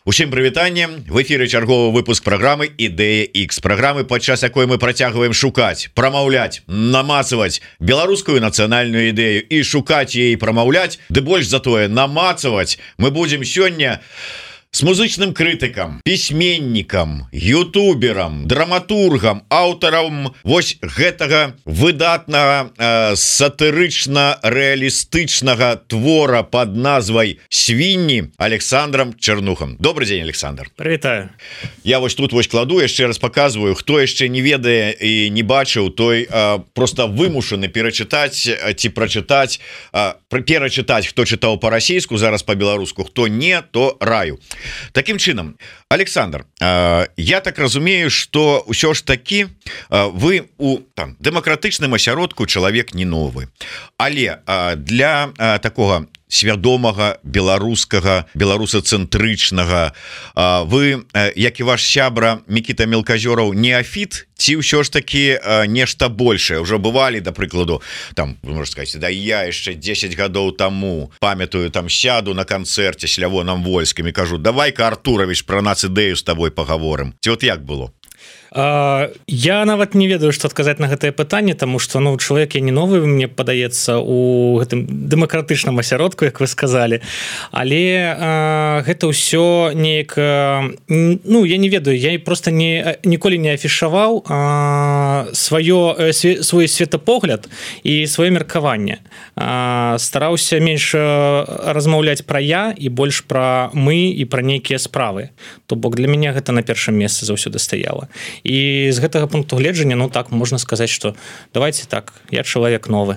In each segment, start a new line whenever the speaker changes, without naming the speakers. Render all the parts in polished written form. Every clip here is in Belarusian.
Усім прывітанне, в эфіры чарговы выпуск праграмы Ідэя X, праграмы, падчас якой мы працягваем шукаць, прамаўляць, намацаваць беларускую нацыянальную ідэю і шукаць яе, прамаўляць, ды больш затое намацаваць мы будзем сёння с музычным крытыкам, пісьменнікам, ютуберам, драматургам, аўтарам вось гэтага выдатнага сатырычна-рэалістычнага твора под назвай «Свінні» Александром Чернухом. Добрый день, Александр.
Прывітаю.
Я вось тут вось кладу, яшчэ раз показываю, хто яшчэ не ведае і не бачыў, той просто вымушаны перачытаць ці прачытаць, перачытаць, хто чытаў па-расійску, зараз па-беларуску, хто не, то раю. Таким чынам, Александр, я так разумею, что ўсё ж таки вы у дэмакратычным асяродку чалавек не новы, але для такого свядомага беларускага, беларусацэнтрычнага вы, як і ваш сябра Мікіта Мелказёраў, неафіт ці ўсё ж таки нешта большее уже бывалі, да прыкладу, там вы можете сказать, да я яшчэ 10 гадоў таму памятаю, там сяду на канцэрце с Лявоном Вольскім і кажу, давай-ка, Артурович, про нацыдею з табой пагаворым. Ці от як было?
Я нават не ведаю, што адказаць на гэтае пытанне, таму што чалавек я не новы, мне падаецца, у гэтым дэмакратычным асяродку, як вы сказалі, але гэта ўсё неяк, я не ведаю, я проста ніколі не афішаваў свой светапогляд і сваё меркаванне. Стараўся менш размаўляць пра я і больш пра мы і пра нейкія справы. То бок для мяне гэта на першым месцы заўсёды стаяла. І з гэтага пункту гледжання, так можна сказаць, што давайте так, я чалавек новы.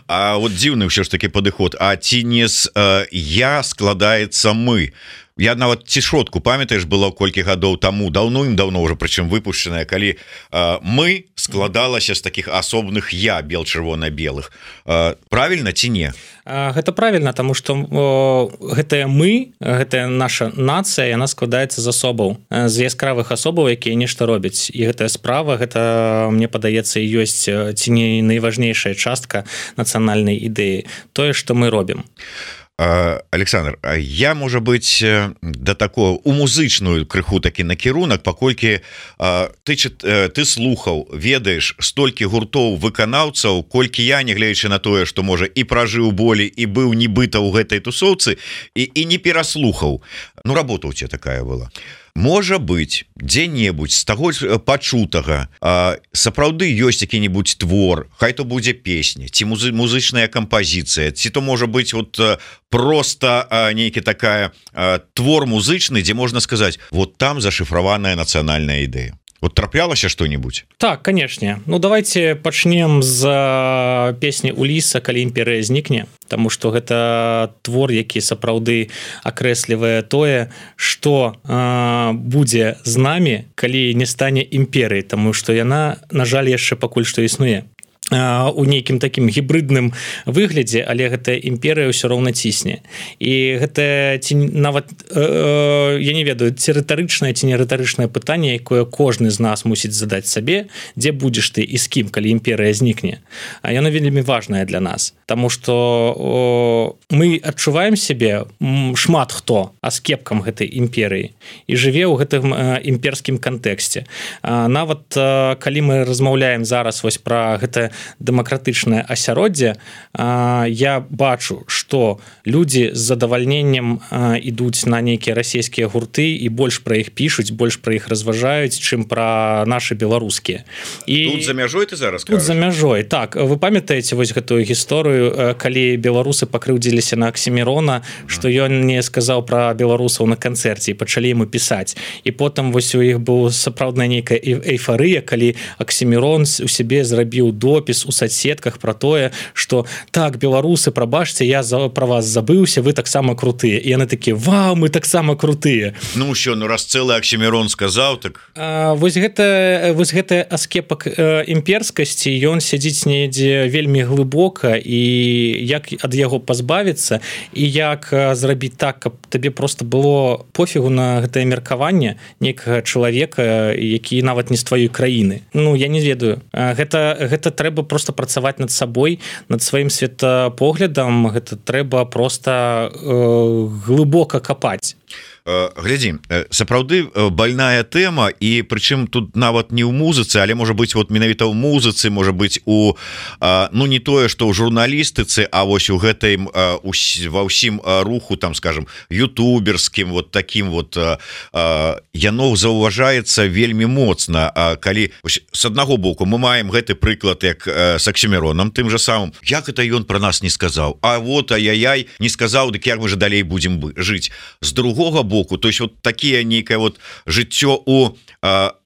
А вот дзіўны ўсё ж таки падыход, а ці не з я складаецца мы? Я нават цішотку, памятаеш, было колькі гадоў таму, даўно уже, прычым выпушчаная, калі мы складалася з такіх асобных я, бел-чырвона-белых. Правільна ці не?
Гэта правільна, таму што гэтае мы, гэтая наша нацыя, яна складаецца з асобаў, з яскравых асобаў, якія нешта робяць. І гэтая справа, гэта, мне падаецца, і ёсць ці не найважнейшая частка нацыянальнай ідэі, тое, што мы робім.
Александр, я, можа быць, да такого у музычную крыху такі накірунак, паколькі ты слухаў, ведаеш столькі гуртоў выканаўцаў, колькі я, нягледзячы на тое, што можа і пражыў болі і быў нібыта ў гэтай тусоўцы і не пераслухаў. Работа ў цябе такая была. Можа быць, дзе-небудзь з таго пачутага сапраўды ёсць які-небудзь твор, хай то будзе песня, ці музычная кампазіцыя, ці то можа быць просто нейкі такая твор музычны, дзе можна сказаць, вот там зашифраваная нацыянальная ідэя. Вот траплялася что-нибудь?
Так, конечно. Давайте пачнем з песні Уліса «Калі імперыя знікне», таму што гэта твор, які сапраўды акрэслівае тое, што будзе з намі, калі не стане імперыяй, таму што яна, на жаль, яшчэ пакуль што існуе у нейкім такім гібрыдным выглядзе, але гэтая імперыя ўсё роўна цісне. І гэта нават, я не ведаю, ці рытарычнае, ці не рытарычнае пытанне, якое кожны з нас мусіць задаць сабе, дзе будзеш ты і з кім, калі імперыя знікне. Яно вельмі важнае для нас, таму што мы адчуваем сябе, шмат хто, аскепкам гэтай імперыі і жыве ў гэтым імперскім кантэксце. Нават калі мы размаўляем зараз вось пра гэта дэмакратычнае асяроддзе, я бачу, што людзі з задавальненнем ідуць на нейкія расійскія гурты і больш пра іх пішуць, больш пра іх разважаюць, чым пра нашы беларускія.
Тут за мяжой ты зараз
кажаш? Тут за мяжой, так. Вы памятаеце вось гэтую гісторыю, калі беларусы пакрыўдзіліся на Аксімірона, што ён не сказаў пра беларусаў на канцэрце і пачалі яму пісаць. І потым вось у іх быў сапраўдная нейкая эйфарыя, калі Аксімірон у сябе зрабіў допіс у соцсетках про тое, что так, беларусы, прабачце, я про вас забыўся, вы таксама крутыя. І яны такі, вау, мы таксама крутыя.
Раз цэлы Аксімірон сказаў, так...
Вось гэты аскепак імперскасці, ён сядзіць недзе вельмі глыбока, і як ад яго пазбавіцца, і як зрабіць так, каб табе просто было пофігу на гэтае меркаванне нейкага чалавека, які нават не з тваёй краіны. Я не ведаю. Гэта трэба трэба просто працаваць над сабой, над сваім светапоглядам, гэта трэба просто глыбока капаць.
Глядзі, сапраўды больная тэма, і прычым тут нават не ў музыцы, але можа быць вот менавіта ў музыцы, можа быць у ну не тое што ў журналістыцы, а вось у гэтым ва ўсім руху, там скажем ютуберскім, вот таким вот яно заўважаецца вельмі моцна. Калі з аднаго боку мы маем гэты прыклад як с Аксіміронам тым же самым, як это ён пра нас не сказаў, а вот ай-яй не сказаў, дык як мы же далей будзем жыць. З другога боку, то есть вот такие некое вот жыццё у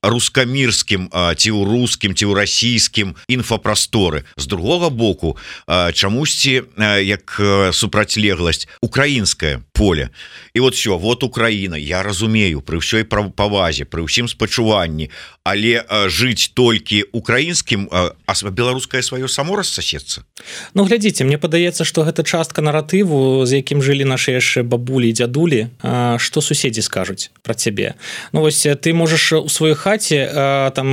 рускамірскім ці ў рускім ці ў расійскім інфапрасторы. З другога боку чамусьці як супрацьлегласць украінскае поле. І вот все, вот Украіна, я разумею, пры ўсёй павазе, пры ўсім спачуванні, але жыць толькі украінскім, а беларускае сваё само рассасецца.
Ну глядзіце, мне падаецца, што гэта частка наратыву, з якім жылі нашы яшчэ бабулі і дзядулі, што суседзі скажуць пра цябе. Ну вось ты можаш у сваёй хаце там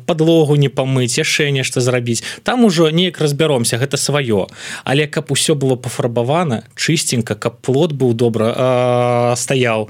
падлогу не памыць, яшчэ нешта зрабіць. Там ужо неяк разбяромся, гэта сваё. Але каб усё было пафарбавана, чыстенька, каб плот быў добра стаяў,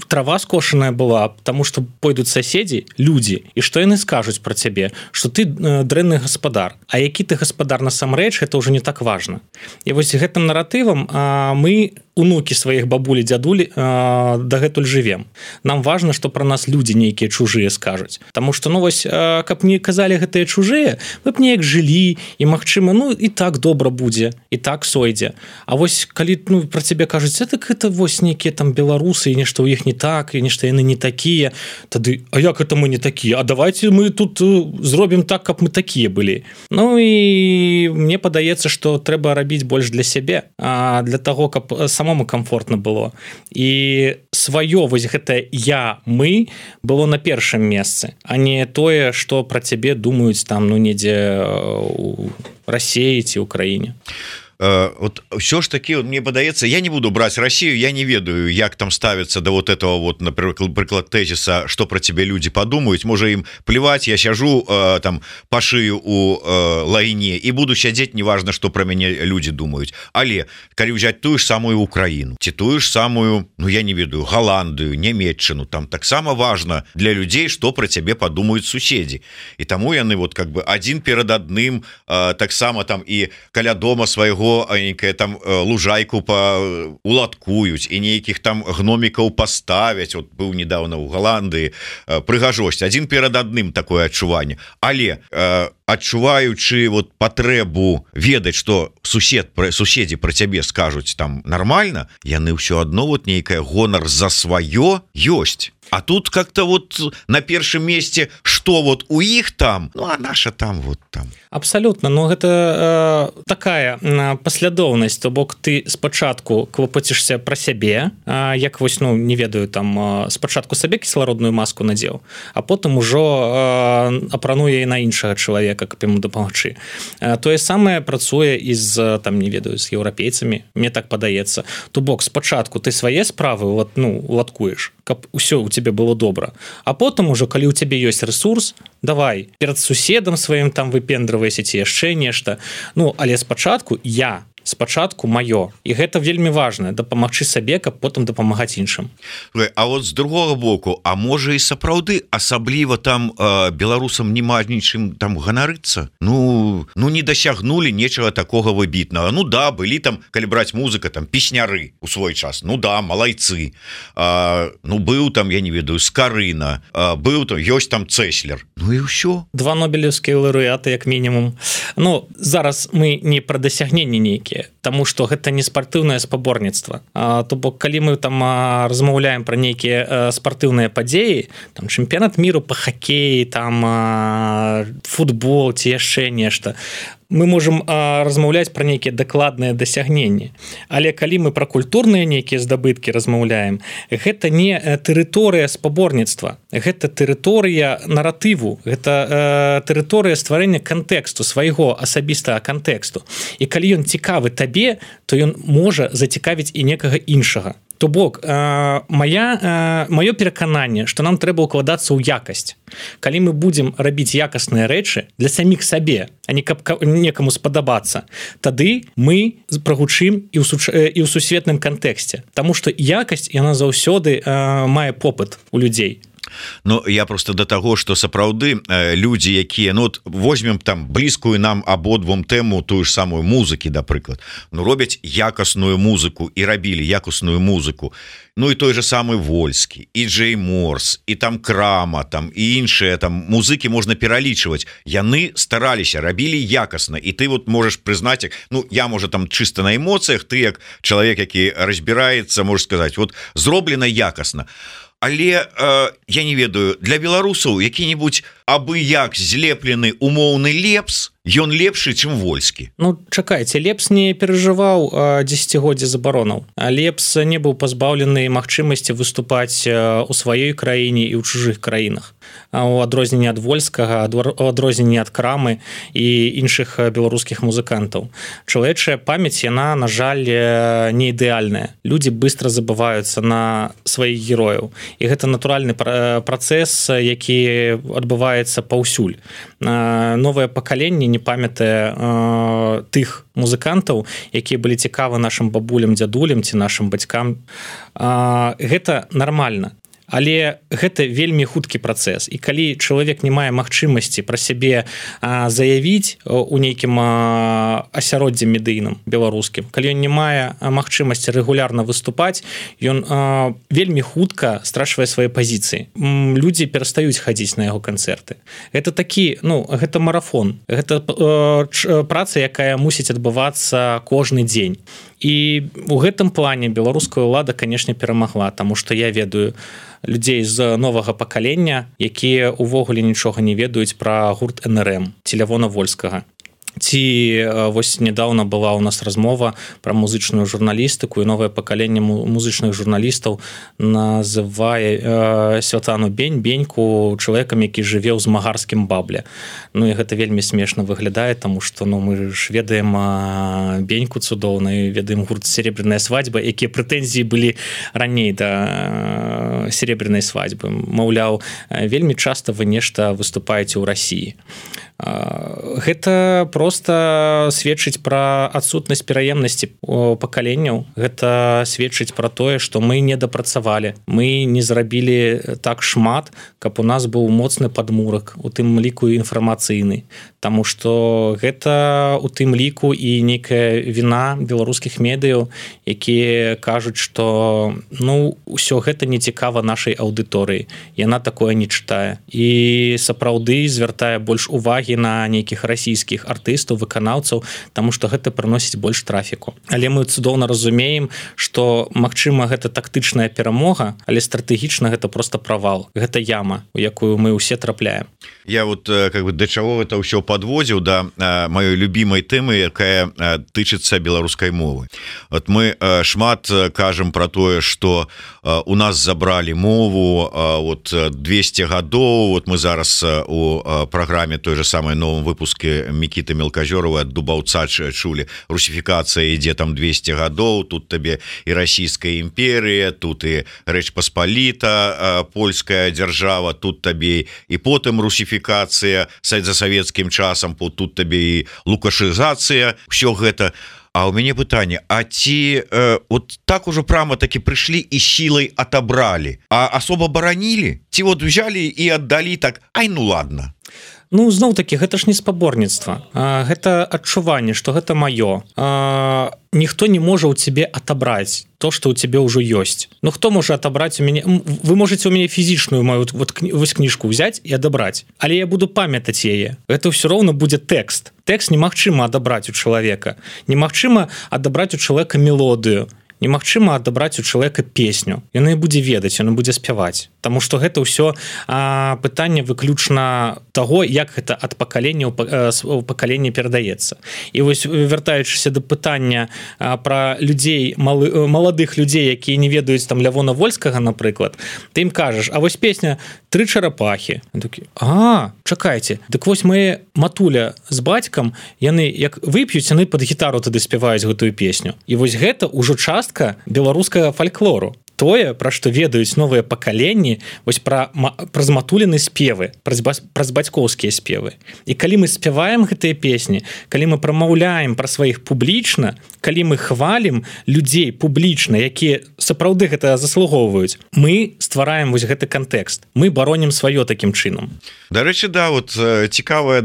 трава скошаная была, потому что пойдуць соседи, люди, і што яны скажуць про цябе, что ты дрэнны гаспадар, а які ты гаспадар насамрэч, это уже не так важно. І вось гэтым наратывам мы, унукі сваіх бабулі, дзядулі, дагэтуль жывем. Нам важно, что про нас люди нейкія чужыя скажуць, потому что ну вось каб не казалі гэтыя чужыя, мы б неяк жылі, і магчыма, ну і так добра будзе, і так сойдзе. А вось калі ну про цябе кажуць, так это вось нейкія там беларусы, і нешта ў іх не так, і нешта яны не такія, тады а як это мы не такія, а давайте мы тут зробім так, каб мы такія былі. Ну і мне падаецца, што трэба рабіць больш для сябе, для таго, каб самому комфортна было, і сваё вось гэтае я, мы было на першым месцы, а не тое, што пра цябе думаюць там ну недзе у Расіі ці ўкраіне.
Вот все ж таки мне падаецца, я не буду брать Россию, я не ведаю, як там ставится до вот этого вот, например, прыклад тезиса, что про тебе люди подумают, можа им плевать, я сяжу там по шыю у лайне и буду сядзець, неважно, что про мяне люди думают. Але калі взять тую ж самую Украину, ці тую ж самую, ну я не ведаю, Голландию, Нямецчыну, там таксама важно для людей, что про тебе подумают суседи. И тому яны вот как бы один перад адным, таксама там и каля дома свайго нейкая там лужайку уладкуюць і нейкіх там гномікаў паставяць. Вот быў недавно ў Голландыі, прыгажосць адзін перад адным такое адчуванне, але адчуваючы вот патрэбу ведаць, што суседзі пра цябе скажуць там нормально, яны ўсё адно вот нейкае гонар за сваё ёсць. А тут как-то вот на першым месте, что вот у іх там, ну а наша там вот там.
Абсолютно, но гэта такая паслядоўнасць, то бок ты спачатку клопацішся пра сябе, як вось ну не ведаю там спачатку сабе кіслародную маску надзеў, а потым ужо апрануе і на іншага чалавека, каб яму дапамагчы. Тое самае працуе і з там не ведаю з еўрапейцамі, мне так падаецца. То бок спачатку ты свае справы уладкуеш, каб усё у тебе было добра, а потым ужо калі у цябе ёсць ресурс, давай перад суседам сваім там выпендравайся ці яшчэ нешта. Ну але спачатку спачатку маё, і гэта вельмі важна, дапамагчы сабе, каб потым дапамагаць іншым.
А вот з другога боку, а можа і сапраўды асабліва там беларусам нема нічым там ганарыцца, ну не дасягнулі нечага такога выбітнага. Ну да, былі там, калі браць музыка, там песняры у свой час, ну да, малайцы, ну быў там, я не ведаю, Скарына, быў там, ёсць там Цэслер, ну і ўсё.
2 нобелеўскія лаўрэаты як мінімум. Ну зараз мы не пра дасягненні нейкія, тому что гэта не спартыўнае спаборніцтва. То бок калі мы там размаўляем пра нейкія спартыўныя падзеі, там чэмпіянат міру па хакеі, там футбол ці яшчэ нешта, мы можем размаўляць пра нейкія дакладныя дасягненні. Але калі мы пра культурныя нейкія здабыткі размаўляем, гэта не тэрыторыя спаборніцтва, гэта тэрыторыя наратыву, гэта тэрыторыя стварэння кантэксту, свайго асабістага кантэксту. І калі ён цікавы табе, то ён можа зацікавіць і некага іншага. То бок маё перакананне, што нам трэба ўкладацца ў якасць. Калі мы будзем рабіць якасныя рэчы для саміх сабе, а не каб некаму спадабацца, тады мы прагучым і ў сусветным кантэксце. Таму што якасць яна заўсёды мае попыт у людзей.
Ну я просто до таго, что сапраўды людзі, якія возьмем там блізкую нам абодвум тэму тую ж самую музыкі, да прыклад, робяць якасную музыку і рабілі якасную музыку. Ну і той же самы Вольскі, і Джей Морс, і там Крама, там і іншыя там музыкі можна пералічваць. Яны стараліся, рабілі якасна, і ты можаш прызнаць, я можа там чыста на эмоцыях, ты як чалавек, які разбіраецца, можаш сказаць, зроблена якасна. Але я не ведаю, для беларусаў які-нибудь абы-як злеплены умоўны лепс, ён лепшы, чым Вольскі.
Ну, чакайце, Лепс не перажываў дзесяцігоддзе забаронаў. Лепс не быў пазбаўлены магчымасці выступаць у сваёй краіне і ў чужых краінах. У адрозненне ад Вольскага, у адрозненне ад Крамы і іншых беларускіх музыкантаў. Чалавечая памяць, яна, на жаль, не ідэальная. Людзі быстра забываюцца на сваіх герояў. І гэта натуральны працэс, які адбываецца паўсюль. Новае пакаленне не памятае тых музыкантаў, якія былі цікавы нашым бабулям, дзядулям ці нашым бацькам. Гэта нармальна. Але гэта вельмі хуткі працэс. І калі чалавек не мае магчымасці пра сябе заявіць у нейкім асяроддзі медыйным беларускім, калі ён не мае магчымасці рэгулярна выступаць, ён вельмі хутка страчвае свае пазіцыі. Людзі перастаюць хадзіць на яго канцэрты. Гэта такі, гэта марафон. Гэта праца, якая мусіць адбывацца кожны дзень. І у гэтым плане беларуская ўлада, канешне, перамагла, таму што я ведаю людзей з новага пакалення, якія ўвогуле нічога не ведаюць пра гурт НРМ ці Лявона Вольскага. Ці вось нядаўна была ў нас размова пра музычную журналістыку, і новае пакаленне музычных журналістаў называе Святлану Беньку чалавекам, які жыве ў змагарскім бабле. Ну і гэта вельмі смешна выглядае, таму што мы ж ведаем Беньку цудоўна і ведаем гурт «Серебряная свадьба», якія прэтэнзіі былі раней да «Серебряной свадьбы». Маўляў, вельмі часта вы нешта выступаеце ў Расіі. Гэта просто сведчыць пра адсутнасць пераемнасці пакаленняў. Гэта сведчыць пра тое, што мы не дапрацавалі. Мы не зрабілі так шмат, каб у нас быў моцны падмурак, у тым ліку інфармацыйны. Таму што гэта у тым ліку і нейкая віна беларускіх медыяў, якія кажуць, што ўсё гэта не цікава нашай аўдыторыі. Яна такое не чытае. І сапраўды звяртае больш увагі на нейкіх расійскіх артыстаў, выканаўцаў, таму што гэта прыносіць больш трафіку. Але мы цудоўна разумеем, што, магчыма, гэта тактычная перамога, але стратэгічна гэта просто правал. Гэта яма, у якую мы ўсе трапляем.
Я да чаго гэта ўсё падводзіў да маёй любімай тэмы, якая тычыцца беларускай мовы. Мы шмат кажам пра тое, што у нас забралі мову 200 гадоў. Мы зараз у праграме той же самой новом выпуске Мікіты Мелказёрова ад Дубаўца чулі, русіфікацыя ідзе там 200 гадоў, тут табе і расійская імперія, тут і Рэч Паспаліта, польская дзяржава, тут табе і потым русіфікацыя за савецкім часам, тут табе і лукашызацыя, ўсё гэта. А у мяне пытанне, а ці так ужо прямо таки прыйшлі і сілай атабралі, а асоба баранілі? Ці взялі і аддалі так, ладно.
Зноў-такі, гэта ж не спаборніцтва. Гэта адчуванне, што гэта маё. Ніхто не можа ў цябе атабраць то, што ў цябе ўжо ёсць. Хто можа атабраць у мяне? Вы можаце ў мяне фізічную маю вось кніжку ўзяць і адабраць, але я буду памятаць яе. Гэта ўсё роўна будзе тэкст. Тэкст немагчыма адабраць у чалавека. Немагчыма адабраць у чалавека мелодыю. Немагчыма адабраць у чалавека песню. Яна будзе ведаць, яна будзе спяваць. Таму што гэта ўсё пытанне выключна таго, як гэта ад пакалення ў пакаленне перадаецца. І вось, вяртаючыся да пытання пра людзей, маладых людзей, якія не ведаюць там Лявона Вольскага, напрыклад, ты ім кажаш, а вось песня «Тры чарапахі». Чакайце, дык вось мае матуля з бацькам, яны як вып'юць, яны пад гітару тады спяваюць гэтую песню. І вось гэта ўжо час частка беларускага фальклору, тое, пра што ведаюць новыя пакаленні, вось праз матуліны спевы, праз бацькоўскія спевы. І калі мы спяваем гэтыя песні, калі мы прамаўляем пра сваіх публічна, калі мы хвалім людзей публічна, якія сапраўды гэта заслугоўваюць, мы ствараем вось гэты кантэкст. Мы баронім сваё такім чынам.
Дарэчы, да, вот цікавае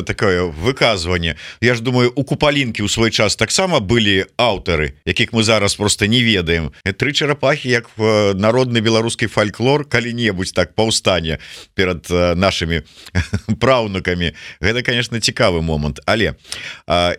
такое выказванне. Я ж думаю, у Купалінкі ў свой час таксама былі аўтары, якіх мы зараз просто не ведаем. Тры чарапахі, як народны беларускі фальклор калі-небудзь так паўстане перад нашымі праўнукамі. Гэта, конечно, цікавы момант. Але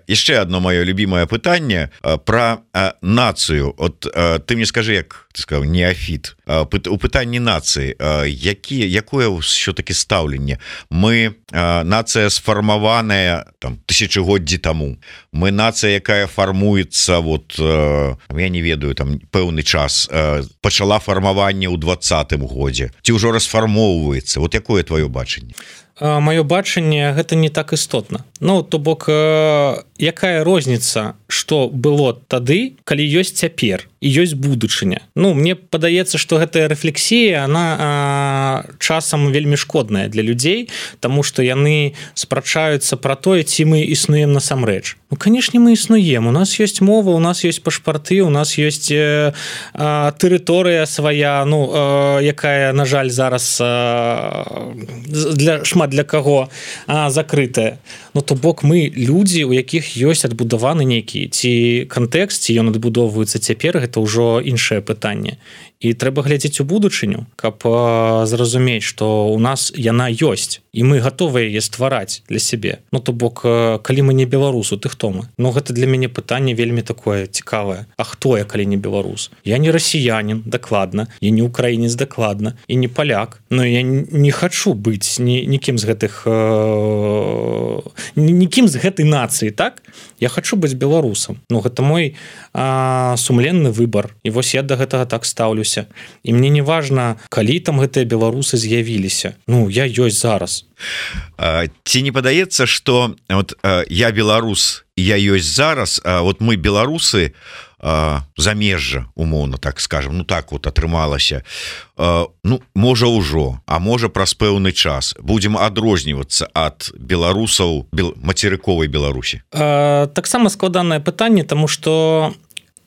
яшчэ одно маё любимае пытанне пра нацыю. От ты мне скажи, як ты сказаў, неафіт. У пытанні нацыі, якое ўсё-таки стаўленне? Мы нацыя сфармаваная там тысячагоддзі таму. Мы нацыя, якая фармуецца вот я не ведаю, там пэўны час пачала фармаванне ў 20-м годзе. Ці ўжо расфармоўваецца? Вот якое твоё бачанне?
Маё бачанне гэта не так істотна. Ну, то бок, якая розніца, што было тады, калі ёсць цяпер і ёсць будучыня. Ну, мне падаецца, што гэтая рэфлексія, она часам вельмі шкодная для людзей, таму што яны спрачаюцца пра тое, ці мы існуем насамрэч. Ну, канешне, мы існуем. У нас ёсць мова, у нас ёсць пашпарты, у нас ёсць тэрыторыя свая, ну, якая, на жаль, зараз шмат для каго закрытая. Ну, то бок мы людзі, у якіх ёсць адбудаваны нейкі ці кантэкст, ці ён адбудоўваецца цяпер, гэта ўжо іншае пытанне. І трэба глядзець у будучыню, каб зразумець, што ў нас яна ёсць, і мы гатовыя яе ствараць для сябе. Ну, то бок, калі мы не беларусу, ты хто мы? Ну, гэта для мяне пытанне вельмі такое цікавае. А хто я, калі не беларус? Я не расіянін, дакладна, я не украінец, дакладна, і не паляк. Но я не хачу быць нікім з гэтых нікім з гэтай нацыі, так? Я хачу быць беларусам. Ну, гэта мой сумленны выбар. І вось я да гэтага так стаўлюся. І мне не важна, калі там гэтыя беларусы з'явіліся. Ну, я ёсць зараз.
Ці не падаецца, што вот, я беларус, я ёсць зараз, вот мы беларусы замежжа, умоўна, так скажем, ну так вот атрымалася, ну, можа ўжо, а можа праз пэўны час будзем адрознівацца ад беларусаў мацерыковай Беларусі.
Таксама складанае пытанне, таму што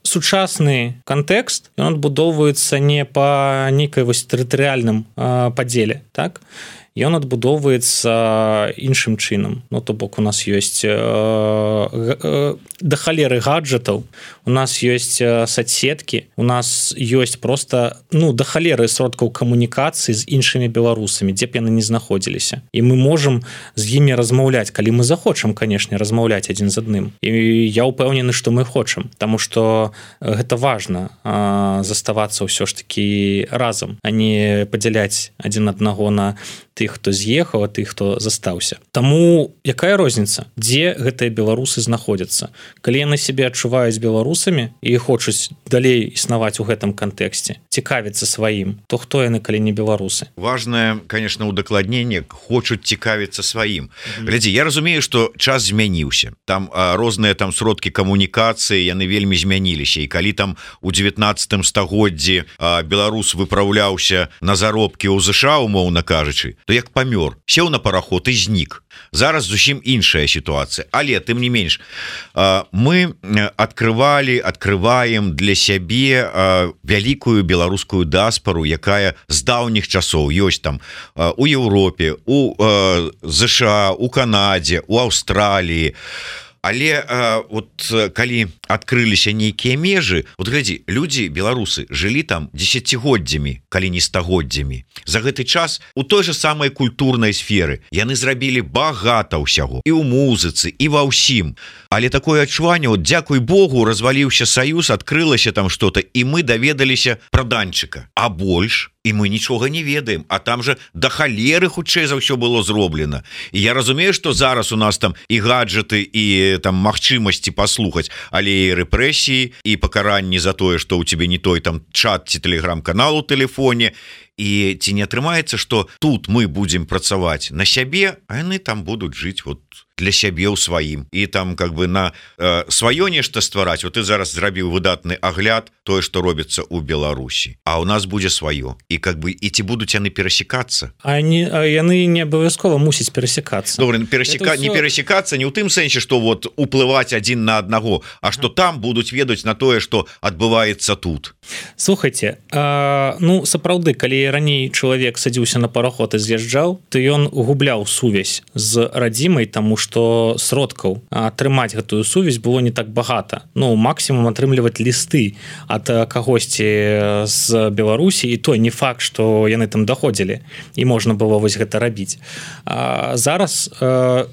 сучасны кантэкст, ён адбудоўваецца не па нейкай вось тэрытарыяльным падзеле, так? Ён адбудоўваецца іншым чынам. Ну, то бок у нас ёсць да халеры гаджетаў, у нас ёсць соцсеткі, у нас ёсць просто, ну, да халеры сродкаў камунікацыі з іншымі беларусамі, дзе б яны не знаходзіліся. І мы можам з імі размаўляць, калі мы захочам, канешне, размаўляць адзін з адным. І я ўпэўнены, што мы хочам, таму што гэта важна заставацца ўсё ж такі разам, а не падзяляць адзін аднаго на тых, хто з'ехаў, а тых, хто застаўся. Таму якая розніца, дзе гэтыя беларусы знаходзяцца? Калі яны сябе адчуваюць беларусамі і хочуць далей існаваць у гэтым кантэксце, цікавіцца сваім, то хто яны, калі не беларусы?
Важнае, конечно, удакладненне, хочуць цікавіцца сваім. Глядзі, я разумею, што час змяніўся. Там розныя там сродкі камунікацыі, яны вельмі змяніліся. І калі там у 19 стагоддзі беларус выпраўляўся на заробкі ў ЗША, умоўна кажучы, то як памёр, сеў на параход і знік. Зараз зусім іншая сітуацыя. Але, тым не менш, мы открываем для сябе вялікую беларускую дыаспару, якая з даўніх часоў ёсць там у Еўропе, у ЗША, у Канадзе, у Аўстраліі. Але вот калі адкрыліся нейкія межы, вот глядзі, людзі, беларусы, жылі там дзесяцігоддзямі, калі не стагоддзямі. За гэты час у той же самай культурнай сферы яны зрабілі багата ўсяго. І ў музыцы, і ва ўсім. Але такое адчуванне, вот, дзякуй Богу, разваліўся саюз, адкрылася там што-то, і мы даведаліся пра Данчыка. А больш і мы нічога не ведаем, а там же да халеры хутчэй за ўсё было зроблена. І я разумею, што зараз у нас там і гаджеты, і там магчымасці паслухаць, але і рэпрэсіі, і пакаранні за тое, што ў цябе не той там чат ці тэлеграм-канал у тэлефоне. І ці не атрымаецца, што тут мы будзем працаваць на сябе, а яны там будуць жыць вот для сябе ў сваім і там как бы на сваё нешта ствараць. Вот ты зараз зрабіў выдатны агляд тое што робіцца ў Беларусі, а у нас будзе сваё і как бы і ці будуць яны перасекацца,
яны не абавязкова мусіць перасекацца.
Добра, не перасекацца не ў тым сэнсе што вот уплываць адзін на аднаго, а што там будуць ведаць на тое што адбываецца тут.
Слухайте, ну сапраўды калі раней чалавек садзіўся на параход і з'язджаў, то ён губляў сувязь з радзімай, таму што сродкаў атрымаць гэтую сувязь было не так багата. Ну максімум атрымліваць лісты ад кагосьці з Беларусі, і то не факт што яны там даходзілі і можна было вось гэта рабіць. Зараз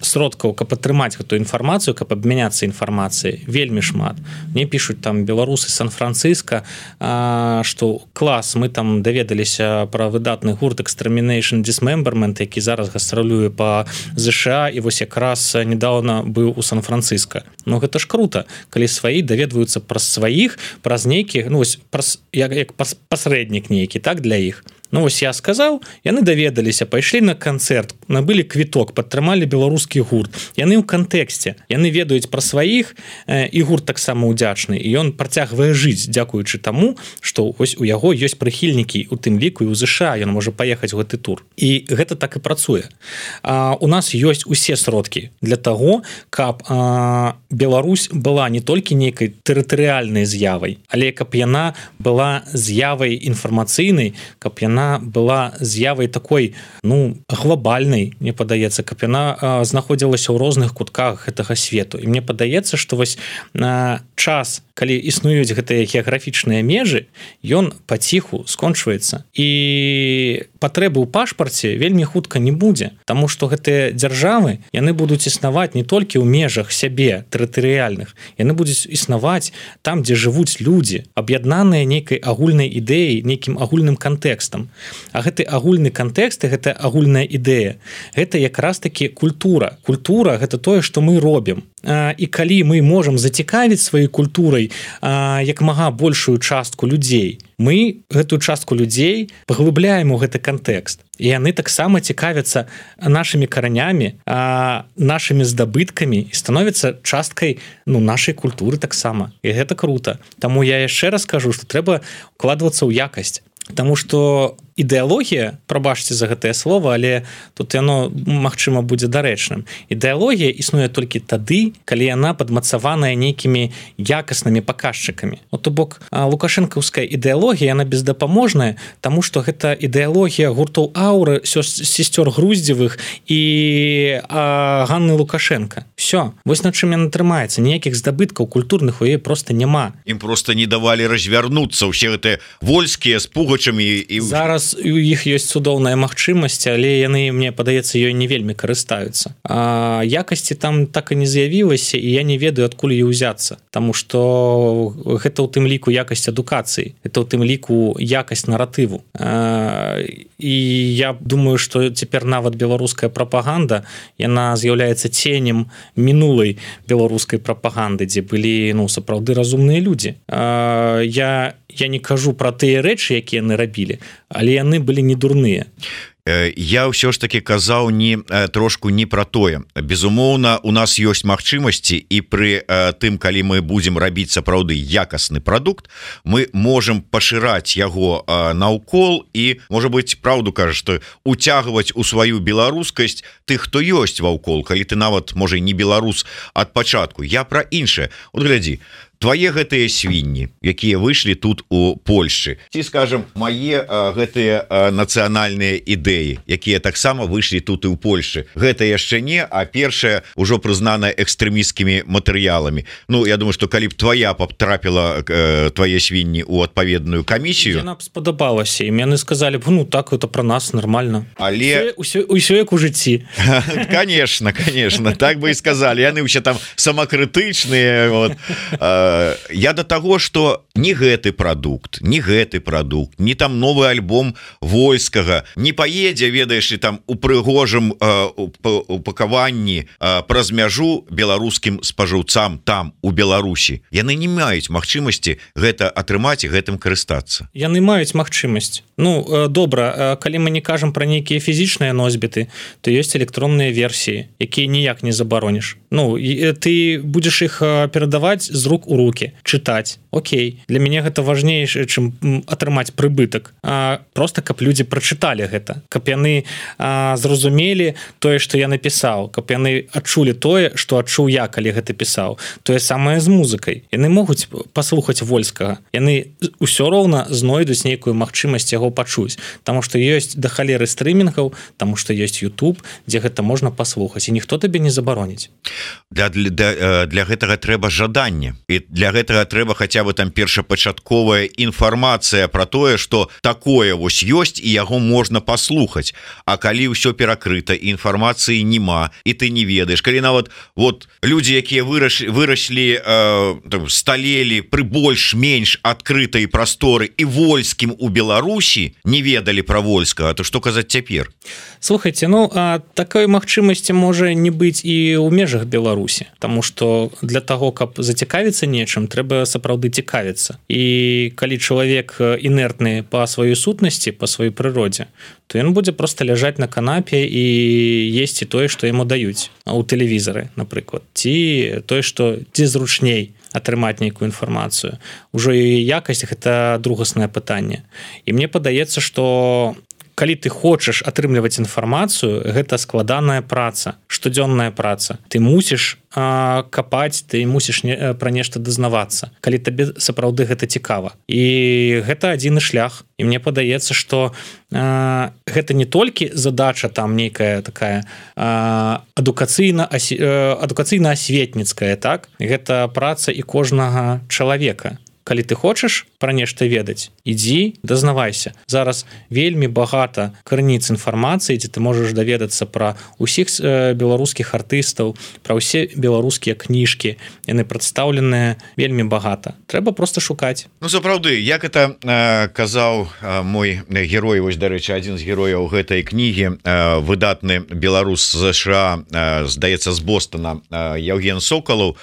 сродкаў, каб атрымаць гэтую інфармацыю, каб абмяняцца інфармацыяй, вельмі шмат. Мне пішуць там беларусы Сан-Франциско, што клас, мы там даведаліся пра выдатны гурт Extermination Dismemberment, які зараз гастралюе па ЗША і вось якраз недавно быў у Сан-Франциско. Ну гэта ж круто, калі сваі даведваюцца праз сваіх, праз нейкі, ну вось як пасрэднік нейкі, так, для іх. Ну вось я сказаў, яны даведаліся, пайшлі на канцэрт, набылі квіток, падтрымалі беларускі гурт. Яны ў кантэксце, яны ведаюць пра сваіх, і гурт таксама ўдзячны, і ён працягвае жыць, дзякуючы таму, што ось у яго ёсць прыхільнікі, у тым ліку і ў ЗША, ён можа паехаць у гэты тур. І гэта так і працуе. У нас ёсць усе сродкі для таго, каб Беларусь была не толькі нейкай тэрытарыяльнай з'явай, але каб яна была з'явай інфармацыйнай, каб яна была з'явай такой, ну, глобальнай, мне падаецца, каб яна знаходзілася ў розных кутках гэтага свету. І мне падаецца, што вось час, калі існуюць гэтыя геаграфічныя межы, ён паціху скончваецца. І патрэбы ў пашпарце вельмі хутка не будзе, таму што гэтыя дзяржавы, яны будуць існаваць не толькі ў межах сябе тэрытарыяльных, яны будуць існаваць там, дзе жывуць людзі, аб'яднаныя нейкай агульнай ідэяй, нейкім агульным кантэкстам. А гэты агульны кантэкст і гэтая агульная ідэя, гэта якраз такі культура. Культура гэта тое, што мы робім. І калі мы можам зацікавіць сваёй культурай як мага большую частку людзей, мы гэтую частку людзей паглыбляем у гэты кантэкст. І яны таксама цікавяцца нашымі каранямі, нашымі здабыткамі і становяцца часткай, ну, нашай культуры таксама. І гэта круто. Таму я яшчэ раз кажу, што трэба укладвацца ў якасць. Таму што ідэалогія, прабачце за гэтае слово, але тут яно, магчыма, будзе дарэчным. Ідэалогія існуе толькі тады, калі яна падмацаваная нейкімі якаснымі паказчыкамі. То бок, лукашэнкаўская ідэалогія, яна бездапаможная, таму што гэта ідэалогія гуртоў Ауры, сестёр Груздзевых і Ганны Лукашенко. Всё. Вось на чым яна трымаецца. Ніякіх здабыткаў культурных у яе проста няма.
Ім проста не давалі развярнуцца ўсе гэтыя вольскія з пугачамі і...
Зараз у іх ёсць цудоўная магчымасць, але яны, мне падаецца, ёй не вельмі карыстаюцца. Якасці там так і не з'явілася, і я не ведаю, адкуль ёй узяцца. Таму што гэта ў тым ліку якасць адукацыі, гэта ў тым ліку якасць наратыву. І я думаю, што цяпер нават беларуская прапаганда, яна з'яўляецца ценем мінулай беларускай прапаганды, дзе былі, ну, сапраўды разумныя людзі. Я не кажу пра тыя рэчы, якія яны рабілі, але яны былі не дурныя.
Я ўсё ж таки казаў трошку не пра тое. Безумоўна, у нас ёсць магчымасці, і пры тым, калі мы будзем рабіць сапраўды якасны прадукт, мы можам пашыраць яго наўкол і, можа быць, праўду кажа, што уцягваць у сваю беларускасць тых, хто ёсць ваўкол, калі ты нават, можа, і не беларус ад пачатку. Я пра іншае. От глядзі, твае гэтыя свінні, якія выйшлі тут у Польшчы, ці, скажем, мае гэтыя нацыянальныя ідэі, якія таксама выйшлі тут і ў Польшчы. Гэта яшчэ не, а першае ўжо прызнана экстрэмісцкімі матэрыяламі. Ну, я думаю, што калі б твая потрапіла твае свінні ў адпаведную камісію...
Яна б спадабалася, і яны сказалі б, ну, так, это пра нас нормально.
Але...
Усё як у жыцці.
Конечно, так бы і сказалі. Яны ўсе там самакрытычныя, вот... я до таго что не гэты прадукт, не там новы альбом Вольскага не паедзе, ведаеш, і там у прыгожым упакаванні праз мяжу беларускім спажыўцам там у Беларусі. Яны не маюць магчымасці гэта атрымаць і гэтым карыстацца.
Яны маюць магчымасць. Ну добра, калі мы не кажам пра нейкія фізічныя носьбіты, то ёсць электронныя версіі, якія ніяк не забароніш. Ну ты будзеш іх перадаваць з рук у руки, чытаць. Окей, для мяне гэта важней, чым атрымаць прыбытак. Просто каб людзі прачыталі гэта, каб яны зразумелі тое, што я напісаў, каб яны адчулі тое, што адчуў я, калі гэта пісаў. Тое самае з музыкай. Яны могуць паслухаць Вольскага. Яны ўсё роўна знойдуць нейкую магчымасць яго пачуць, таму што ёсць да халеры стрымінгаў, таму што ёсць YouTube, дзе гэта можна паслухаць, і ніхто табе не забароніць.
Для гэтага трэба жаданне, і для гэтага трэба хаця бы там першапачатковая інфармацыя пра тое, што такое вось ёсць і яго можна паслухаць. А калі ўсё перакрыта, інфармацыі няма, і ты не ведаеш, калі нават вот людзі, якія выраслі, сталелі пры больш-менш адкрытай прасторы і Вольскім у Беларусі не ведалі пра Вольскага, то што казаць цяпер?
Слухайте, ну такой магчымасці можа не быць і ў межах Беларусі, таму што для таго, каб зацікавіцца нечым, трэба сапраўды цікавіцца. І калі чалавек інертны па сваёй сутнасці, па сваёй прыродзе, то ён будзе проста ляжаць на канапе і есці тое, што яму даюць у тэлевізары, напрыклад, ці тое, што ці зручней атрымаць нейкую інфармацыю. Ужо яе якасць – гэта другаснае пытанне. І мне падаецца, што калі ты хочаш атрымліваць інфармацыю, гэта складаная праца, штодзённая праца. Ты мусіш капаць, ты мусіш пра нешта дазнавацца, калі табе сапраўды гэта цікава. І гэта адзіны шлях. І мне падаецца, што гэта не толькі задача там нейкая такая адукацыйна-асветніцкая, так? Гэта праца і кожнага чалавека. Калі ты хочаш пра нешта ведаць, ідзі, дазнавайся. Зараз вельмі багата крыніц інфармацыі, дзе ты можаш даведацца пра ўсіх беларускіх артыстаў, пра ўсе беларускія кніжкі. Яны прадстаўленыя вельмі багата. Трэба проста шукаць.
Ну, сапраўды, як это казаў мой герой, вось, дарэчы, адзін з герояў гэтай кнігі, выдатны беларус з США, здаецца, з Бостона, Яўген Сокалаў,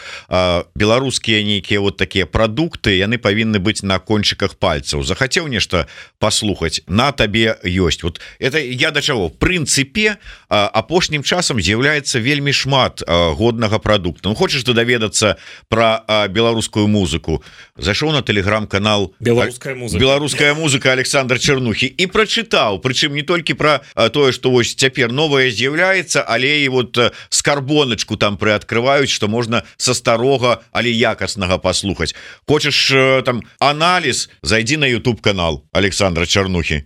беларускія нейкія вот такія прадукты, яны павінны быць на кончыках пальцаў. Захацеў нешта паслухаць, на табе ёсць. Вот это я да чаго? В прынцыпе, апошнім часам з'яўляецца вельмі шмат годнага прадукта. Ну, хочаш ты даведацца пра беларускую музыку, зайшоў на тэлеграм-канал «Беларуская музыка» Александр Чернухі і прачытаў, прычым не толькі пра тое, што вось цяпер новае з'яўляецца, але і вот скарбоначку там прыадкрываюць, што можна са старога, але якаснага паслухаць. Хочаш там аналіз, зайди на YouTube канал Александра Чернухі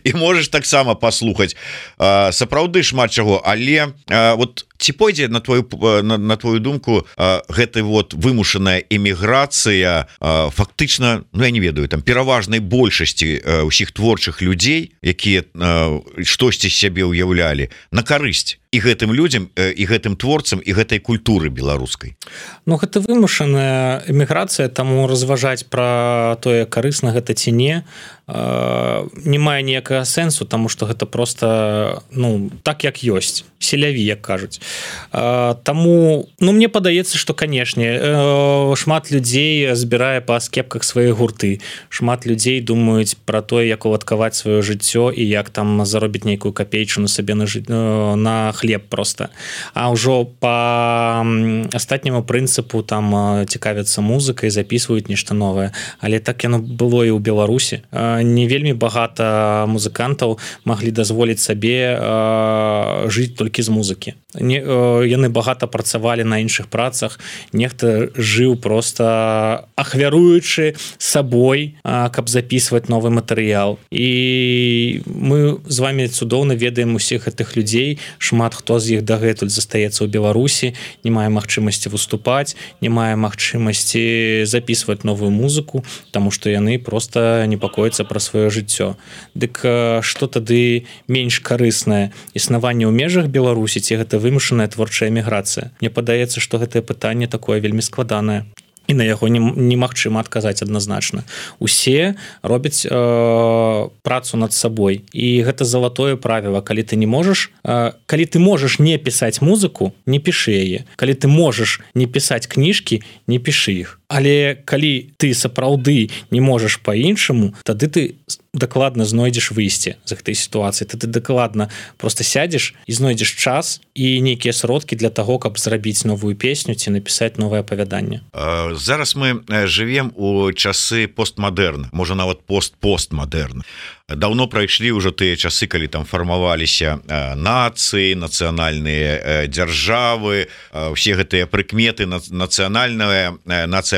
і можаш таксама паслухаць. Сапраўды шмат чаго, але вот ці пойдзе на твою думку гэта вот вымушаная эміграцыя фактычна, ну я не ведаю, там пераважнай большасці ўсіх творчых людзей, якія штосьці сябе ўяўлялі, на карысць і гэтым людзям, і гэтым творцам, і гэтай культуры беларускай?
Ну гэта вымушаная эміграцыя, таму разважаць пра тое, карысна гэта ці не, не мае ніякага сэнсу, таму што гэта проста, ну, так як ёсць, селяві, як кажуць. Таму, ну, мне падаецца, што, канешне, шмат людзей збірае па скепках свае гурты, шмат людзей думаюць пра тое, як уладкаваць сваё жыццё і як там заробіць нейкую капейчыну сабе на хлеб проста. А ўжо па астатняму прынцыпу там цікавяцца музыкай, запісваюць нешта новае. Але так яно было і ў Беларусі. Не вельмі багата музыкантаў маглі дазволіць сабе жыць толькі з музыкі. Яны багата працавалі на іншых працах, нехта жыў проста ахвяруючы сабой, каб запісваць новы матэрыял. І мы з вами цудоўна ведаем усіх гэтых людзей, шмат хто з іх дагэтуль застаецца ў Беларусі, не мае магчымасці выступаць, не мае магчымасці запісваць новую музыку, таму што яны проста непакояцца пра сваё жыццё. Дык што тады менш карыснае? Існаванне ў межах Беларусі ці гэта вымушаная творчая эміграцыя? Мне падаецца, што гэтае пытанне такое вельмі складанае. і на яго немагчыма адказаць адназначна. Усе робяць працу над сабой, і гэта залатое правіла. Калі ты можаш не пісаць музыку, не пішы яе. Калі ты можаш не пісаць кніжкі, не пішы іх. Але калі ты сапраўды не можаш па-іншаму, тады ты дакладна знойдзеш выйсце з гэтай сітуацыі. Ты дакладна просто сядзеш і знойдзеш час і нейкія сродкі для таго, каб зрабіць новую песню ці напісаць новае апавяданне.
Зараз мы жывем у часы постмадэрн, можа нават постмадэрн. Даўно прайшлі ўжо тыя часы, калі там фармаваліся нацыі, нацыянальныя дзяржавы, усе гэтыя прыкметы нацыя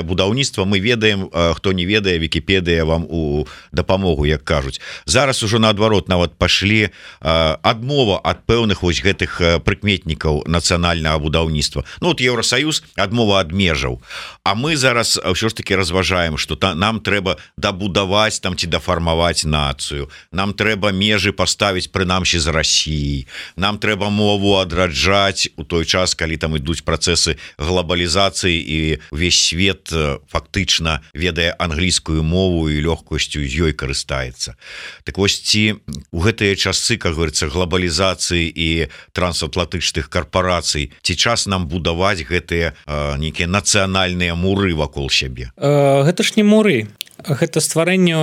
будаўніцтва. Мы ведаем, хто не ведае, Вікіпедыя вам у дапамогу, як кажуць. Зараз ужо наадварот нават пашлі адмова ад пэўных вось гэтых прыкметнікаў нацыянальнага будаўніцтва. Ну вот Еўрасаюз адмова ад межаў. А мы зараз ўсё ж таки разважаем, што нам трэба дабудаваць там ці дафармаваць нацыю. Нам трэба межы паставіць прынамсі з Расіі. Нам трэба мову адраджаць у той час, калі там ідуць працэсы глобалізацыі і ўвесь свет фактычна ведае англійскую мову і лёгкасцю з ёй карыстаецца. Так вось ці у гэтыя часы, как говорится, глобалізацыі і трансатлантычных карпорацый, ці час нам будаваць гэтыя нейкія нацыянальныя муры вакол сябе?
Гэта ж не муры. Гэта стварэнне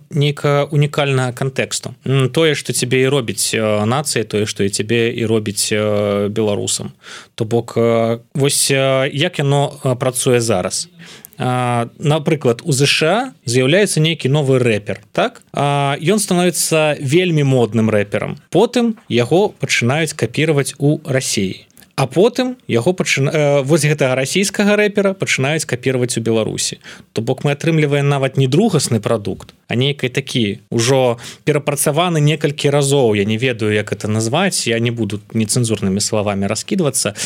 нейкага унікальнага кантэксту. Тое, што цябе і робіць нацыя, тое, што і цябе і робіць беларусам. То бок, вось як яно працуе зараз. Напрыклад, у ЗША з'яўляецца нейкі новы рэпер, так? Ён становіцца вельмі модным рэперам. Потым яго пачынаюць капіраваць у Расіі. А потым яго вось гэтага расійскага рэпера пачынаюць капіраваць у Беларусі. То бок мы атрымліваем нават не другасны прадукт, а нейкай такі ўжо перапрацаваны некалькі разоў. Я не ведаю, як это назваць, я не буду нецэнзурнымі словамі раскідвацца.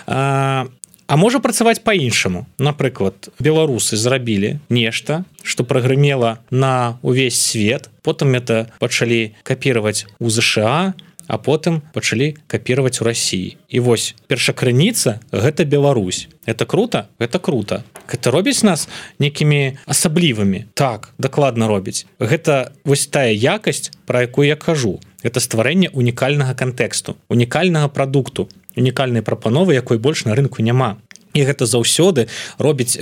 А можа працаваць па-іншаму. Напрыклад, беларусы зрабілі нешта, што прагрымела на увесь свет, потым это пачалі капіраваць у ЗША, а потым пачалі капіраваць у Расіі. І вось першакрыніца гэта Беларусь. Это круто? Это круто. Гэта робіць нас нейкімі асаблівымі. Так, дакладна робіць. Гэта вось тая якасць, пра якую я кажу. Гэта стварэнне унікальнага кантэксту, унікальнага прадукту, унікальнай прапановы, якой больш на рынку няма. І гэта заўсёды робіць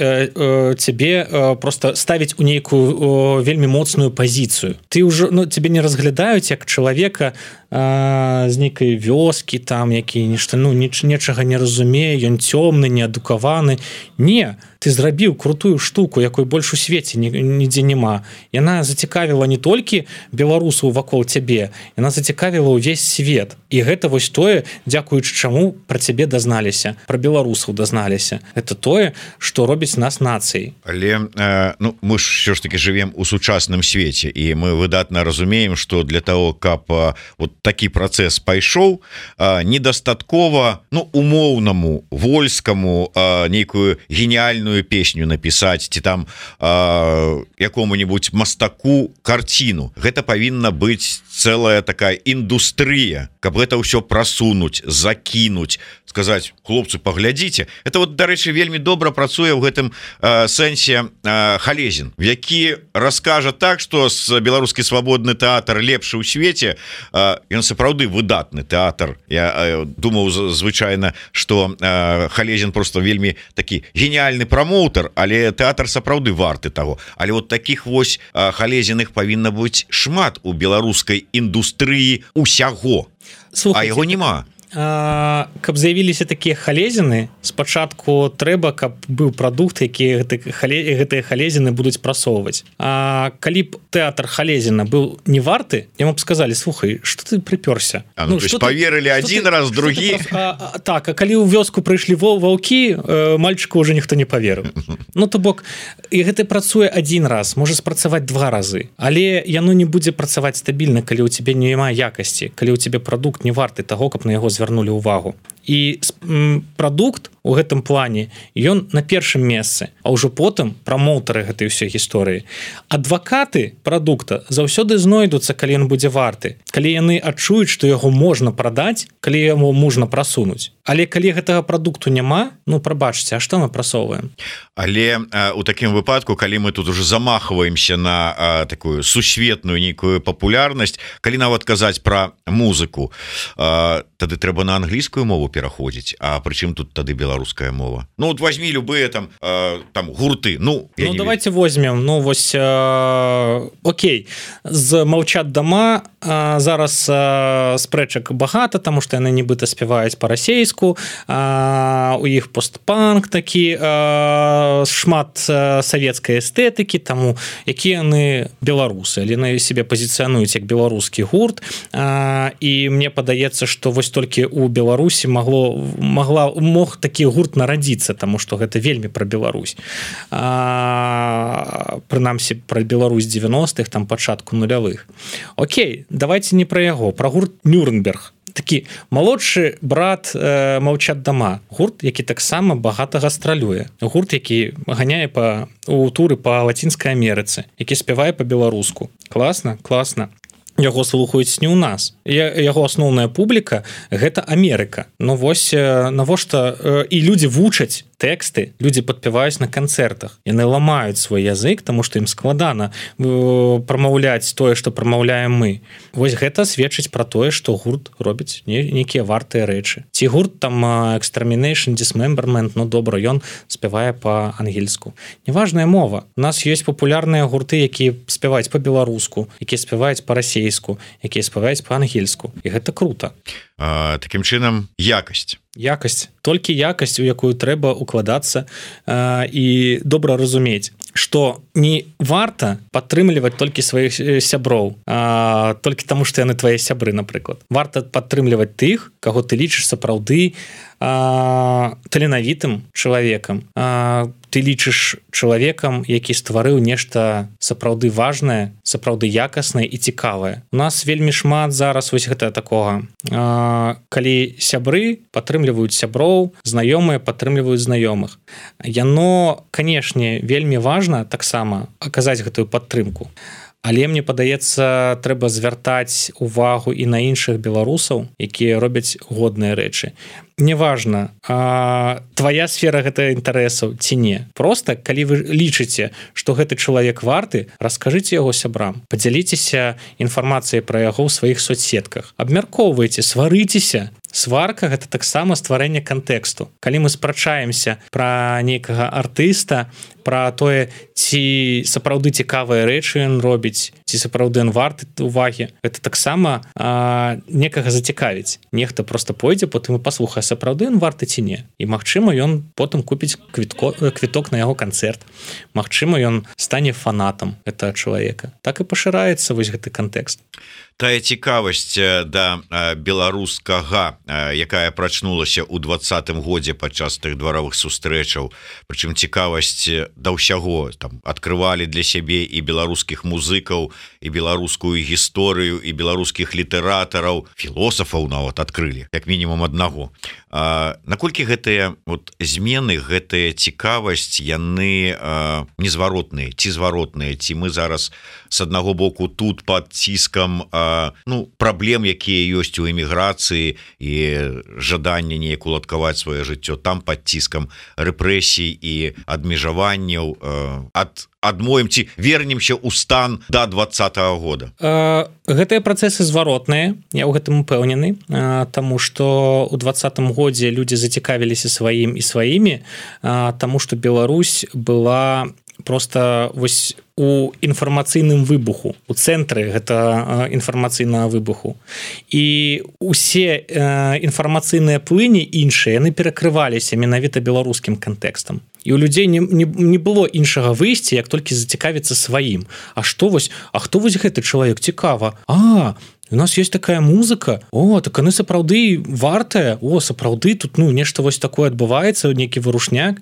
цябе просто ставіць у нейкую вельмі моцную пазіцыю. Ты ўжо цябе не разглядаюць як чалавека з нейкай вёскі, там які нешта нечага не разумее, ён цёмны, неадукаваны. Не, ты зрабіў крутую штуку, якой больш у свеце нідзе няма. Яна зацікавіла не толькі беларусаў вакол цябе, яна зацікавіла ўвесь свет. І гэта вось тое, дзякуючы чаму пра цябе дазналіся, пра беларусаў дазналіся. Это тое, што робіць нас нацыяй.
Але мы ж ўсё ж таки жывем у сучасным свеце, і мы выдатна разумеем, што для того, каб вот такі працэс пайшоў, недастаткова умоўнаму вольскаму нейкую геніальную песню напісаць ці там якому-нибудь мастаку карціну. Гэта павінна быць цэлая такая індустрыя, каб гэта ўсё прасунуць, закінуць, сказаць: хлопцы, паглядзіце. Это вот, дарэчы, вельмі добра працуе ў гэтым сэнсе Халезін, які раскажа так, што беларускі свабодны тэатр лепшы ў свеце. Ён сапраўды выдатны тэатр. Я думаў звычайна, што Халезін просто вельмі такі геніальны прамоутар, але тэатр сапраўды варты таго. Але вот таких вось Халезіных павінна быць шмат у беларускай індустрыі усяго.
Слухайте,
а яго няма.
Каб з'явіліся такія халезіны, спачатку трэба, каб быў прадукт, які гэтыя халезіны будуць прасоўваць. А калі б тэатр Халезіна быў не варты, яму б сказалі: слухай, што ты прыпёрся?
То есть паверылі адзін раз, другі.
Так, а калі ў вёску прыйшлі ваўкі, мальчыку ўжо ніхто не паверыў. То бок, і гэта працуе адзін раз, можа спрацаваць 2 разы, але яно не будзе працаваць стабільна, калі ў цябе няма якасці, калі ў цябе прадукт не варты таго, каб на яго звярнулі ўвагу. і прадукт у гэтым плане ён на першым месцы, а ўжо потым прамоўтары гэтай ўсёй гісторыі. Адвакаты прадукта заўсёды знойдуцца, калі ён будзе варты, калі яны адчуюць, што яго можна прадаць, калі яму можна прасунуць. Але калі гэтага прадукту няма, ну прабачце, а што мы прасоўваем?
Але у такім выпадку, калі мы тут уже замахваемся на такую сусветную нейкую папулярнасць, калі нават казаць пра музыку, тады трэба на англійскую мову пераходзіць. А прычым тут тады беларуская мова? Ну вот возьми любые там гурты. Ну
давайте возьмем. Ну вось окей, з «Маўчат дома» зараз спрэчак багата, таму што яны нібыта спяваюць па-расейску, у іх постпанк такі, шмат савецкай эстэтыкі, таму якія яны беларусы, яны сябе пазіцыянуюць як беларускі гурт, і мне падаецца, што вось толькі у Беларусі мог такі гурт нарадзіцца, таму што гэта вельмі пра Беларусь, прынамсі пра Беларусь 90-х, там пачатку нулявых. Окей, давайте не пра яго, пра гурт «Нюрнберг». Такі малодшы брат «Маўчат дома», гурт, які таксама багата гастралюе, гурт, які ганяе у туры па Лацінскай Амерыцы, які спявае па-беларуску. Класна, класна. Яго слухаюць не ў нас. Яго асноўная публіка гэта Амерыка. Ну вось навошта і людзі вучаць тэксты, людзі падпяваюць на канцэртах. Яны ламаюць свой язык, таму што ім складана прамаўляць тое, што прамаўляем мы. Вось гэта сведчыць пра тое, што гурт робіць нейкія вартыя рэчы. Ці гурт там Extermination, Dismemberment, ну добра, ён спявае па-ангельску. Неважная мова. У нас ёсць папулярныя гурты, якія спяваюць па-беларуску, якія спяваюць па-расейску, якія спяваюць па-ангельску. І гэта крута.
Такім чынам, якасць.
Толькі якасць, у якую трэба укладацца і добра разумець, што не варта падтрымліваць толькі сваіх сяброў, толькі таму, што яны твае сябры, напрыклад. Варта падтрымліваць тых, каго ты лічыш сапраўды таленавітым чалавекам. Ты лічыш чалавекам, які стварыў нешта сапраўды важнае, сапраўды якаснае і цікавае. У нас вельмі шмат зараз вось гэта такога. Калі сябры падтрымліваюць сяброў, знаёмыя падтрымліваюць знаёмых. Яно, канешне, вельмі важна таксама аказаць гэтую падтрымку. Але мне падаецца, трэба звяртаць увагу і на іншых беларусаў, якія робяць годныя рэчы. Неважна, твая сфера гэта інтарэсаў ці не. Проста, калі вы лічыце, што гэты чалавек варты, раскажыце яго сябрам, падзяліцеся інфармацыяй пра яго ў сваіх соцсетках, абмяркоўвайце, сварыцеся. Сварка гэта таксама стварэнне кантэксту. Калі мы спрачаемся пра нейкага артыста, пра тое, ці сапраўды цікавыя рэчы ён робіць, ці сапраўды ён варты увагі, гэта таксама некага зацікавіць. Нехта проста пойдзе, потым і паслухае, сапраўды ён варты ці не. І магчыма, ён потым купіць квіток на яго канцэрт. Магчыма, ён стане фанатам гэтага чалавека. Так і пашыраецца вось гэты кантэкст.
Тая цікавасць да беларускага, якая прачнулася ў 20-м годзе падчас тых дваровых сустрэчаў, прычым цікавасць да ўсяго, там адкрывалі для сябе і беларускіх музыкаў, і беларускую гісторыю, і беларускіх літаратараў, філосафаў нават адкрылі, як мінімум аднаго. Наколькі гэтыя змены, гэтая цікавасць, яны незваротныя ці зваротныя, ці мы зараз з аднаго боку тут пад ціскам праблем, якія ёсць у эміграцыі і жаданне неяк уладкаваць сваё жыццё, там пад ціскам рэпрэсій і адмежаванняў, адмоем ці вернемся ў стан да 20-го года.
Гэтыя працэсы зваротныя, я ў гэтым упэўнены, таму што ў 20-м годзе людзі зацікавіліся сваім і сваімі, таму што Беларусь была просто вось у інфармацыйным выбуху, у цэнтры гэта інфармацыйнага выбуху. І усе інфармацыйныя плыні іншыя, яны перакрываліся менавіта беларускім кантэкстам. І у людзей не было іншага выйсця, як толькі зацікавіцца сваім. А хто вось гэты чалавек? Цікава. У нас есть такая музыка, так яны сапраўды вартая, сапраўды тут нешта вось такое адбываецца, нейкі вырушняк.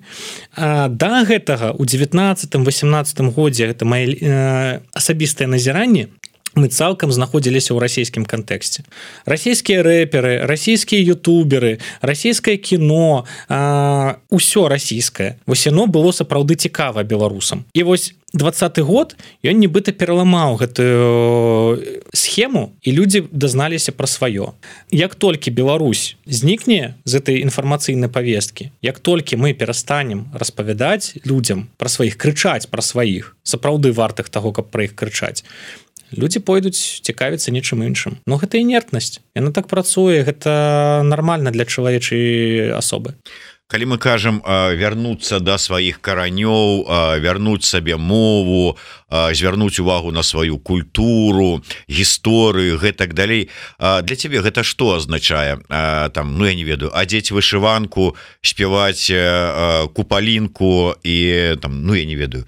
Да гэтага у 19-18 годзе, гэта мае асабістае назіранне, мы цалкам знаходзіліся ў расійскім кантэксце. Расійскія рэперы, расійскія ютуберы, расійскае кіно, усё расійскае. Вось яно было сапраўды цікава беларусам. І вось 20-й год ён нібыта пераламаў гэтую схему, і людзі дазналіся пра сваё. Як толькі Беларусь знікне з этой інфармацыйнай павесткі, як толькі мы перастанем распавядаць людзям пра сваіх, крычаць пра сваіх, сапраўды вартых таго, каб пра іх крычаць, людзі пойдуць цікавіцца нечым іншым. Но гэта інертнасць. Яна так працуе, гэта нармальна для чалавечай асобы.
Калі мы кажам вярнуцца да сваіх каранёў, вярнуць сабе мову, звярнуць увагу на сваю культуру, гісторыю, гэтак далей, для цябе гэта што азначае? Там, ну я не ведаю, адзець вышыванку, спяваць купалінку і там, ну я не ведаю,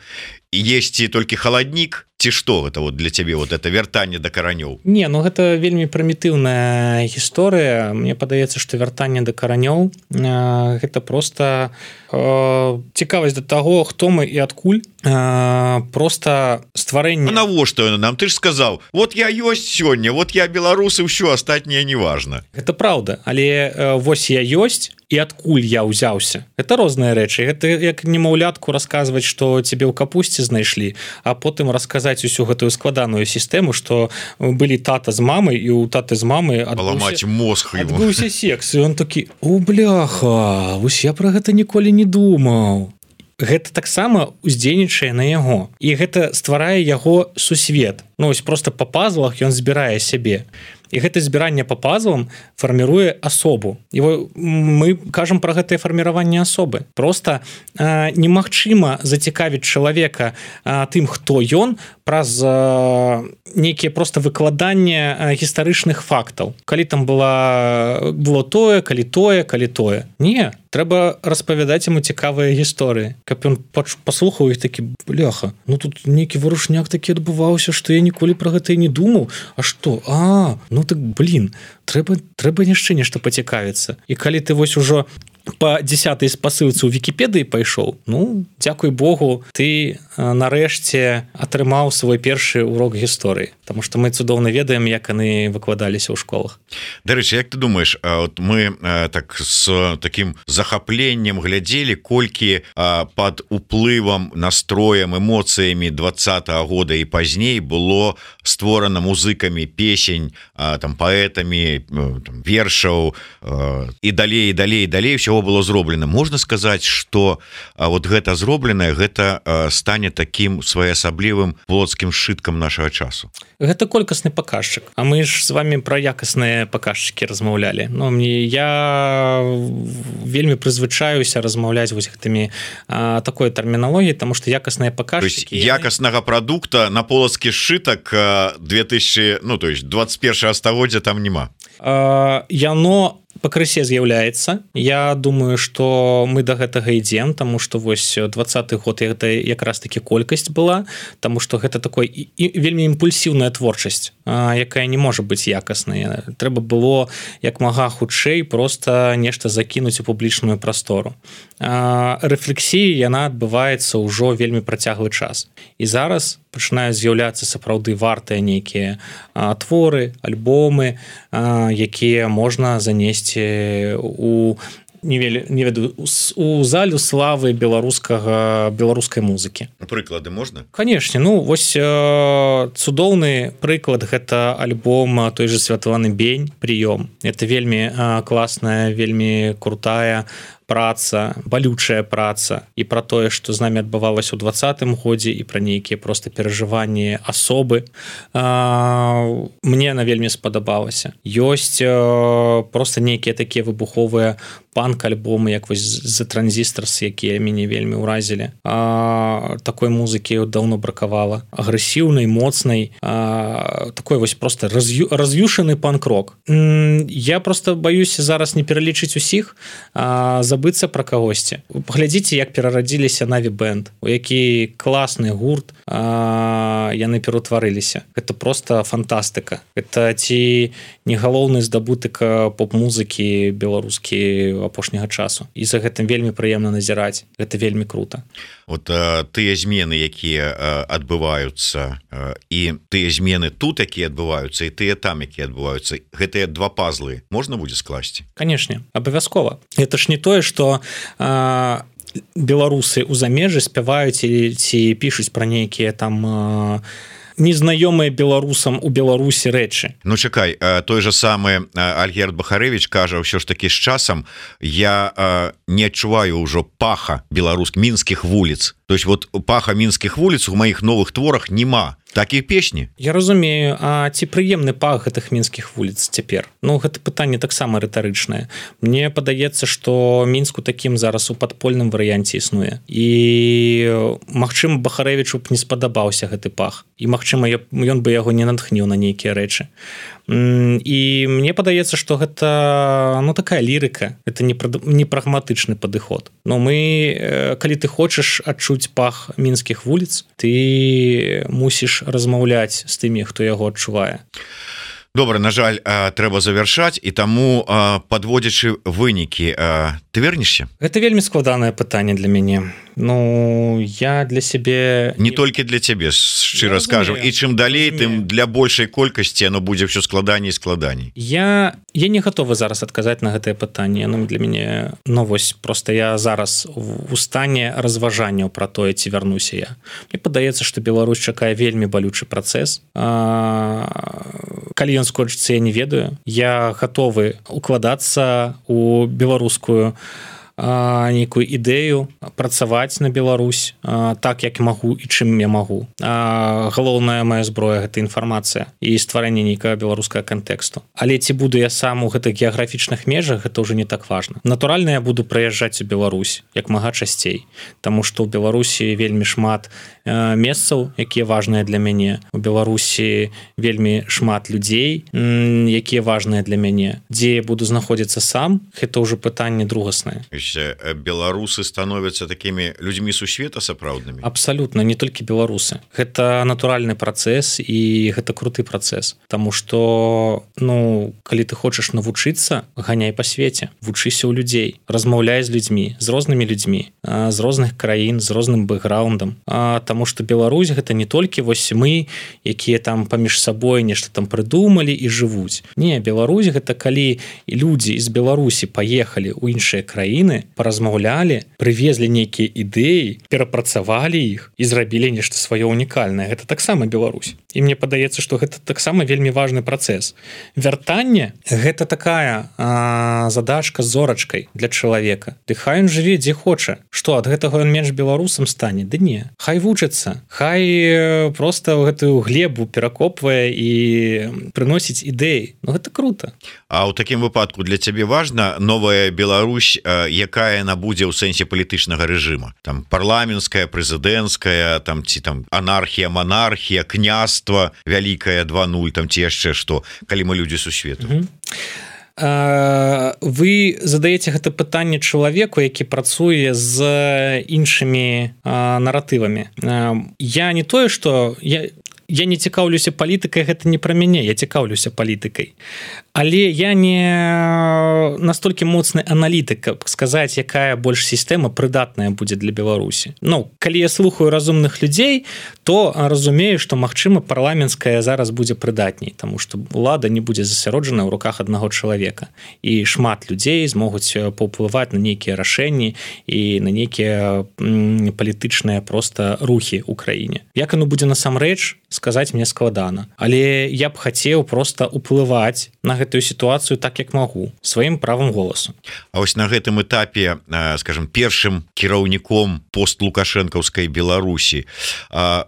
есці толькі халаднік, ці што гэта вот для цябе вот это вяртанне да каранёў?
Не, ну гэта вельмі прымітыўная гісторыя. Мне падаецца, што вяртанне да каранёў гэта просто цікавасць да таго, хто мы і адкуль, просто стварэнне.
Навошта нам? Ты ж сказаў, вот я ёсць сёння, вот я беларус і ўсё, астатняе не важна.
Гэта праўда, але вось я ёсць і адкуль я ўзяўся. Гэта розныя рэчы. Гэта як немаўлятку расказваць, што цябе ў капусце знайшлі, а потым расказаць усю гэтую складаную сістэму, што былі тата з мамай, і у таты з мамы адбыўся секс, і он такі: "О, бляха, вось я пра гэта ніколі не думаў". Гэта таксама уздзейнічае на яго, і гэта стварае яго сусвет. Ну, ось просто па пазлах ён збірае сябе. І гэта збіранне па пазлам фарміруе асобу. І мы кажам пра гэтае фарміраванне асобы. Просто немагчыма зацікавіць чалавека тым, хто ён, праз нейкія просто выкладанне гістарычных фактаў. Калі там было тое, калі тое. Не, трэба распавядаць яму цікавыя гісторыі, каб ён паслухаў іх такі: "Бляха, ну тут нейкі варушняк такі адбываўся, што я ніколі пра гэта і не думаў. А што? Ну так, блин, трэба яшчэ нешта пацікавіцца". І калі ты вось ужо по 10-й спасылцы ў Вікіпедыі пайшоў, ну, дзякуй Богу, ты нарэшце атрымаў свой першы урок гісторыі, потому что мы цудоўна ведаем, як яны выкладаліся ў школах.
Дарэчы, як ты думаеш, вот мы так з таким захапленнем глядзелі, колькі пад уплывам, настроем, эмоцыямі 20-го года і пазней было створана музыкамі песень, там, паэтамі, там, вершаў і далей ўсё было зроблена. Можна сказаць, што вот гэта зробленае, гэта стане таким своеасаблівым плотскім сшыткам нашага часу?
Гэта колькасны паказчык. А мы ж з вами пра якасныя паказчыкі размаўлялі. Ну, я вельмі прызвычаюся размаўляць вось гэтымі такой тэрміналогіяй, таму што якасныя паказчыкі...
Якаснага прадукта на полацкі сшытак 2000, ну, то есть 21 стагоддзя там няма.
Яно пакрысе з'яўляецца. Я думаю, што мы да гэтага ідзем, таму што вось 20-й год гэта якраз таки колькасць была, таму што гэта такой вельмі імпульсіўная творчасць, якая не можа быць якаснай. Трэба было як мага хутчэй просто нешта закінуць у публічную прастору. Рэфлексія, яна адбываецца ўжо вельмі працяглы час. І зараз пачынаюць з'яўляцца сапраўды вартыя нейкія творы, альбомы, якія можна занесці у не ведаю, у залю славы беларускай музыкі.
Прыклады можна?
Канешне, ну вось цудоўны прыклад гэта альбом той же Святланы Бень «Прыём». Это вельмі класная, вельмі крутая праца, балючая праца і пра тое, што з намі адбывалася ў 20-м годзе, і пра нейкія просто перажыванні асобы. Мне она вельмі спадабалася. Ёсць просто нейкія такія выбуховыя панк-альбомы, як вось The Transistors, якія мяне вельмі ўразілі. Такой музыкі даўно бракавала. Агрэсіўнай, моцнай, такой вось просто раз'юшаны панк-рок. Я просто баюся зараз не пералічыць усіх. За забыцца пра кагосьці. Паглядзіце, як перарадзіліся Наві Бэнд, у які класны гурт яны пераўтварыліся. Гэта просто фантастыка. Это ці не галоўны здабытак поп-музыкі беларускі апошняга часу. І за гэтым вельмі прыемна назіраць. Гэта вельмі круто.
Вот тыя змены, якія адбываюцца, і тыя змены тут, якія адбываюцца, і тыя там, якія адбываюцца, гэтыя два пазлы можна будзе скласці?
Канешне, абавязкова. Это ж не тое, што беларусы ў замежжы спяваюць ці пішуць пра нейкія там незнаёмыя беларусам у Беларусі рэчы.
Ну чакай, той же самы Альгерд Бахарэвіч кажа, ўсё ж такі з часам я не адчуваю ўжо паха беларуск мінскіх вуліц. То есть вот паха мінскіх вуліц у маіх новых творах нема. Такія песні.
Я разумею, а ці прыемны пах гэтых мінскіх вуліц цяпер? Ну гэта пытанне таксама рытарычнае. Мне падаецца, што Мінск у такім зараз у падпольным варыянце існуе. І магчыма, Бахарэвічу б не спадабаўся гэты пах. І магчыма, ён бы яго не натхніў на нейкія рэчы. І мне падаецца, што гэта такая лірыка, это не прагматычны падыход. Но мы, калі ты хочаш адчуць пах мінскіх вуліц, ты мусіш размаўляць з тымі, хто яго адчувае.
Добра, на жаль, трэба завяршаць, і таму, падводзячы вынікі, ты вернешся?
Гэта вельмі складанае пытанне для мяне. Ну, я для сябе...
Не толькі для цябе, шчыра скажам. І чым далей, тым для большай колькасці оно будзе ўсё складаней і складаней.
Я не гатовы зараз адказаць на гэтае пытанне. Ну, для мяне... Ну, вось, просто я зараз у стане разважанняў пра тое, ці вярнуся я. Мне падаецца, што Беларусь чакае вельмі балючы працэс. Калі ён скончыцца, я не ведаю. Я гатовы укладацца у беларускую нейкую ідэю, працаваць на Беларусь так, як магу і чым я магу. Галоўная моя зброя – гэта інфармацыя і стварэнне нейкага беларускага кантэксту. Але ці буду я сам у гэтых геаграфічных межах, гэта ўжо не так важна. Натуральна, я буду прыязджаць у Беларусь як мага часцей, таму што ў Беларусі вельмі шмат месцаў, якія важныя для мяне. У Беларусі вельмі шмат людзей, якія важныя для мяне. Дзе я буду знаходзіцца сам, гэта ўжо пытанне другаснае.
Беларусы становятся такими людьми сусвета сапраўднымі?
Абсолютно, не толькі беларусы. Гэта натуральны працэс і гэта круты працэс. Таму што, калі ты хочаш навучыцца, ганяй па свеце, вучыся ў людзей, размаўляй з людзьмі, з рознымі людзьмі, з розных краін, з розным бэкграундам. Таму што Беларусь гэта не толькі вось мы, якія там паміж сабой нешта там прыдумалі і жывуць. Не, Беларусь гэта калі людзі з Беларусі паехалі ў іншыя краіны, паразмаўлялі, прывезлі нейкія ідэі, перапрацавалі іх і зрабілі нешта сваё унікальнае. Гэта таксама Беларусь. І мне падаецца, што гэта таксама вельмі важны працэс. Вяртанне – гэта такая задачка з зорачкай для чалавека. Ды хай ён жыве дзе хоча. Што, ад гэтага ён менш беларусам стане? Ды не. Хай вучыцца. Хай проста гэтую глебу перакопвае і прыносіць ідэі. Ну гэта круто.
А ў такім выпадку для цябе важна новая Беларусь, якая яна будзе ў сэнсе палітычнага рэжыма? Там парламенцкая, прэзідэнцкая, там ці там анархія, манархія, княства вялікая 2.0, там ці яшчэ што, калі мы людзі сусвету.
Вы задаеце гэта пытанне чалавеку, які працуе з іншымі наратывамі. Я не тое, што я не цікаўлюся палітыкай, гэта не пра мяне, я цікаўлюся палітыкай. Але я не настолькі моцны аналітык, каб сказаць, якая больш сістэма прыдатная будзе для Беларусі. Калі я слухаю разумных людзей, то разумею, што, магчыма, парламенцкая зараз будзе прыдатней, таму што ўлада не будзе засяроджана ў руках аднаго чалавека. І шмат людзей змогуць паўплываць на нейкія рашэнні і на нейкія палітычныя проста рухі ў краіне. Як оно будзе насамрэч, сказаць мне складана. Але я б хацеў проста ўплываць на гэтую сітуацыю так, як магу, сваім правам голасу.
А вось на гэтым этапе, скажем, першым кіраўніком постлукашэнкаўскай Беларусі,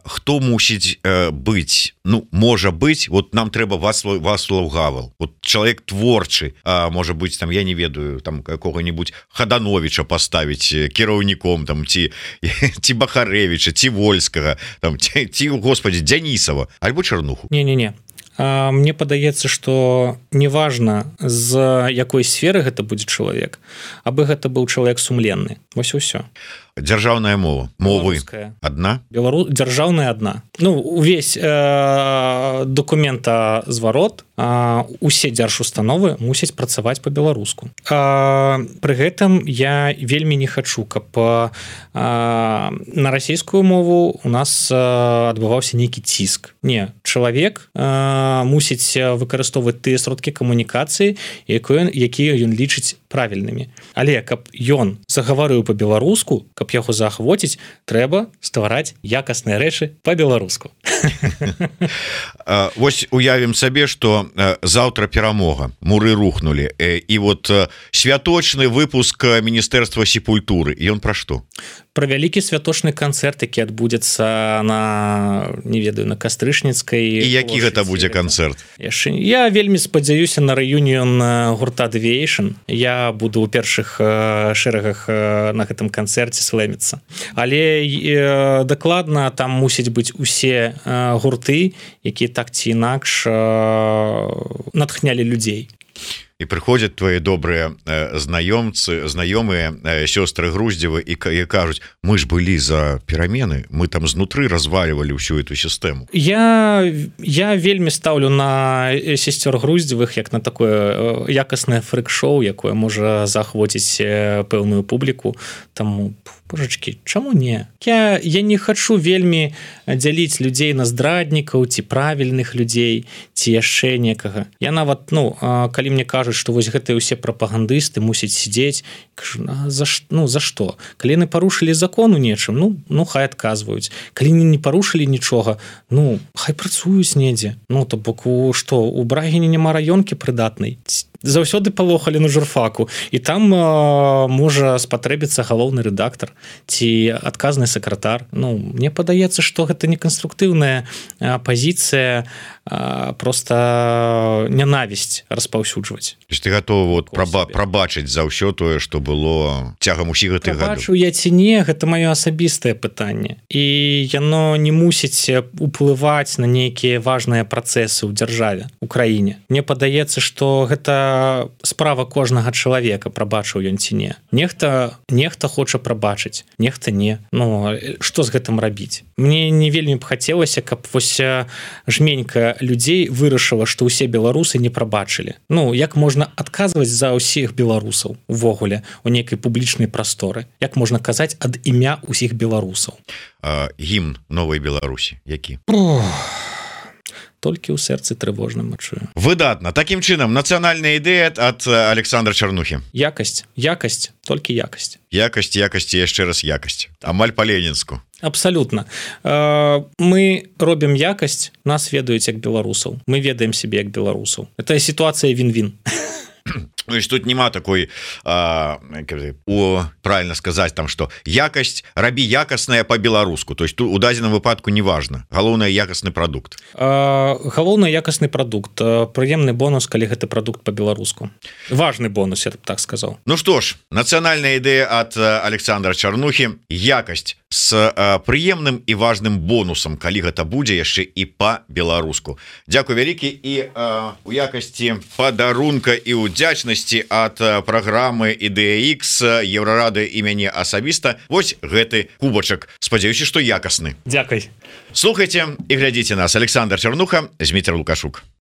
хто мусіць быць? Можа быць, вот нам трэба Вацлаў Гавал, вот чалавек творчы, можа быць, там, я не ведаю, там какого-нибудь Хадановича поставіць кіраўніком, там, ці Бахарэвіча, ці Вольскага, там, ці, господи, Дзянісава, альбо Чарнуху.
Не-не-не. мне падаецца, што неважна з якой сферы гэта будзе чалавек, абы гэта быў чалавек сумленны. Вось і ўсё.
Дзяржаўная мова, мовы адна?
Дзяржаўная адна. Ну, увесь дакументазварот, усе дзяржустановы мусяць працаваць па-беларуску. Пры гэтым я вельмі не хачу, каб на расійскую мову у нас адбываўся нейкі ціск. Не, чалавек мусіць выкарыстоўваць тыя сродкі камунікацыі, якія ён лічыць правільнымі. Але каб ён загаварыў па-беларуску, каб яго заахвоціць, трэба ствараць якасныя рэчы па-беларуску.
Вось уявім сабе, што заўтра перамога, муры рухнулі, і вот святочны выпуск Міністэрства сепультуры, ён пра што?
Пра вялікі святочны канцэрт, які адбудзецца на, не ведаю, на Кастрычніцкай.
І які гэта будзе канцэрт?
Я вельмі спадзяюся на рэюніён гурта Deviation. Я буду ў першых шэрагах на гэтым канцэрце слэміцца. Але дакладна там мусіць быць усе гурты, якія так ці інакш натхнялі людзей.
І прыходзяць твои добрыя знаёмыя сёстры Груздзевы і кажуць: мы ж былі за перамены, мы там знутры развалівалі ўсю эту сістэму.
Я вельмі стаўлю на сесцёр Груздзевых як на такое якаснае фрэк-шоу, якое можа заахвоціць пэўную публіку. Таму, божачкі, чаму не? Я не хачу вельмі дзяліць людзей на здраднікаў ці правільных людзей ці яшчэ некага. Я нават, калі мне кажуць, што вось гэтыя ўсе прапагандысты мусяць сидзець, кажу, за што? Калі яны парушылі закон у нечым, хай адказваюць. Калі не парушылі нічога, хай працуюць недзе. То бок, што, у Брагіне няма раёнкі прыдатнай? Заўсёды палохалі на журфаку, і там можа спатрэбіцца галоўны рэдактар ці адказны сакратар. Мне падаецца, што гэта неканструктыўная пазіцыя, проста нянавісць распаўсюджваць.
Ты гатовы прабачыць за ўсё тое, што было цягам усіх гэтых гадоў?
Прабачу я ці не, гэта маё асабістае пытанне. І яно не мусіць уплываць на нейкія важныя працэсы ў дзяржаве, у краіне. Мне падаецца, што гэта справа кожнага чалавека, прабачыў ён ці не. Нехта хоча прабачыць, нехта не. Што з гэтым рабіць? Мне не вельмі б хацелася, каб вось жменька людзей вырашыла, што ўсе беларусы не прабачылі. Як можна адказваць за ўсіх беларусаў увогуле у нейкай публічнай прасторы? Як можна казаць ад імя ўсіх беларусаў?
Гімн новай Беларусі які?
Толькі ў сэрцы трывожным адчую.
Выдатна. Такім чынам, нацыянальная ідэя ад Александра Чарнухі.
Якасць, толькі якасць.
Якасць, яшчэ раз якасць. Амаль па-ленінску.
Абсалютна. Мы робім якасць, нас ведаюць як беларусаў. Мы ведаем сябе як беларусаў. Это сітуацыя він-він.
Тут няма такой, правильно сказаць, там, што якасць, рабі якасная по-беларуску. То есть у дадзеным выпадку не важно. Галоўнае якасны прадукт.
Галоўнае якасны прадукт. Прыемны бонус, калі гэты прадукт по-беларуску. Важны бонус, я так сказаў.
Што ж, нацыянальная ідэя ад Александра Чарнухі. Якасць с прыемным і важным бонусам, калі гэта будзе яшчэ і па-беларуску. Дзякуй вялікі, і у якасці падарунка і удзячнасці ад праграмы Ідэя-Ікс, Еўрарады і мяне асабіста вось гэты кубачак. Спадзяюся, што якасны.
Дзякуй.
Слухайце і глядзіце нас. Александр Чарнуха, Зміцер Лукашук.